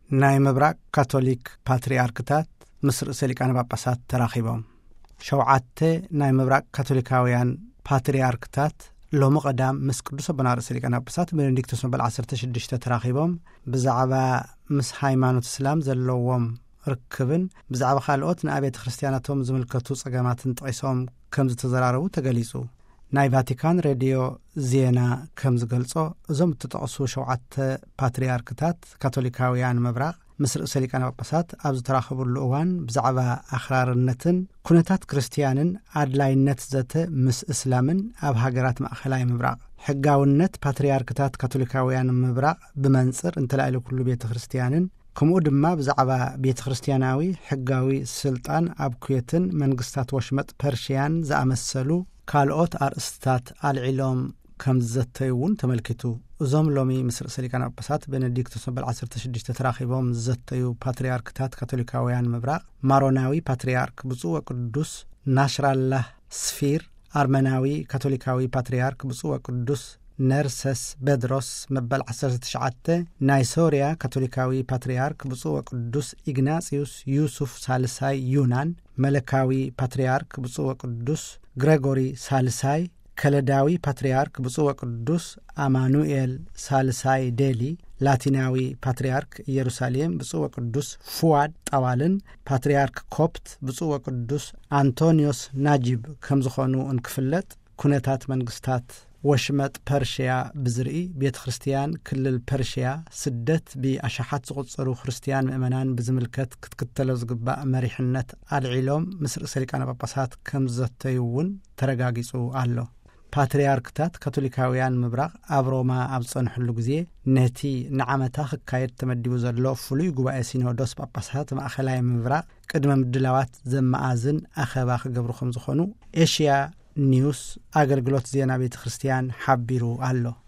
ናይ ምብራቕ ካቶሊክ ፓትርያርክታት ምስ ርእሰ ሊቃነ ጳጳሳት ተራኺቦም። ሸውዓተ ናይ ምብራቕ ካቶሊካውያን ፓትርያርክታት ሎሚ ቀዳም ምስ ቅዱስ ኣቦና ርእሰ ሊቃነ ጳጳሳት ቤኔዲክቶስ መበል ዓሰርተ ሽዱሽተ ተራኺቦም፣ ብዛዕባ ምስ ሃይማኖት እስላም ዘለዎም ርክብን ብዛዕባ ካልኦት ንኣቤተ ክርስቲያናቶም ዝምልከቱ ጸገማትን ጠቒሶም ከም ዝተዘራረቡ ተገሊጹ። ናይ ቫቲካን ሬድዮ ዜና ከም ዝገልጾ፣ እዞም እተጠቕሱ ሸውዓተ ፓትርያርክታት ካቶሊካውያን ምብራቕ ምስ ርእሰ ሊቃነ ጳጳሳት ኣብ ዝተራኸብሉ እዋን፣ ብዛዕባ ኣኽራርነትን ኩነታት ክርስትያንን ኣድላይነት ዘተ ምስ እስላምን ኣብ ሃገራት ማእኸላይ ምብራቕ ሕጋውነት ፓትርያርክታት ካቶሊካውያን ምብራቕ ብመንጽር እንተላዕሊ ኩሉ ቤተ ክርስትያንን፣ ከምኡ ድማ ብዛዕባ ቤተ ክርስትያናዊ ሕጋዊ ስልጣን ኣብ ኩዌትን መንግስታት ወሽመጥ ፐርሽያን ዝኣመሰሉ ካልኦት ኣርእስትታት ኣልዒሎም ከም ዝዘተዩ እውን ተመልኪቱ። እዞም ሎሚ ምስ ርእሰ ሊቃነ ጳጳሳት ቤኔዲክቶስ መበል ዓሰርተ ሽዱሽተ ተራኺቦም ዝዘተዩ ፓትርያርክታት ካቶሊካውያን ምብራቕ፣ ማሮናዊ ፓትርያርክ ብፁዕ ወቅዱስ ናሽራላህ ስፊር፣ ኣርመናዊ ካቶሊካዊ ፓትርያርክ ብፁዕ ወቅዱስ ነርሰስ በድሮስ መበል ዓሰርተ ትሽዓተ፣ ናይ ሶርያ ካቶሊካዊ ፓትርያርክ ብፁዕ ወቅዱስ ኢግናጽዩስ ዩሱፍ ሳልሳይ ዩናን፣ መለካዊ ፓትርያርክ ብፁዕ ወቅዱስ ግሬጎሪ ሳልሳይ፣ ከለዳዊ ፓትርያርክ ብፁዕ ወቅዱስ ኣማኑኤል ሳልሳይ ዴሊ፣ ላቲናዊ ፓትርያርክ ኢየሩሳሌም ብፁዕ ወቅዱስ ፉዋድ ጣዋልን፣ ፓትርያርክ ኮፕት ብፁዕ ወቅዱስ ኣንቶኒዮስ ናጂብ ከም ዝኾኑ እንክፍለጥ፣ ኩነታት መንግስታት ወሽመጥ ፐርሽያ ብዝርኢ፣ ቤተ ክርስትያን ክልል ፐርሽያ ስደት ብኣሽሓት ዝቑጸሩ ክርስትያን ምእመናን ብዝምልከት ክትክተሎ ዝግባእ መሪሕነት ኣልዒሎም ምስ ርእሰ ሊቃነ ጳጳሳት ከም ዝዘተዩ እውን ተረጋጊጹ ኣሎ። ፓትርያርክታት ካቶሊካውያን ምብራቕ ኣብ ሮማ ኣብ ዝጸንሕሉ ግዜ፣ ነቲ ንዓመታ ክካየድ ተመዲቡ ዘሎ ፍሉይ ጉባኤ ሲኖዶስ ጳጳሳት ማእኸላይ ምብራቕ ቅድመ ምድላዋት ዘመኣዝን ኣኸባ ክገብሩ ከም ዝኾኑ ኤሽያ ኒውስ ኣገልግሎት ዜና ቤተ ክርስትያን ሓቢሩ ኣሎ።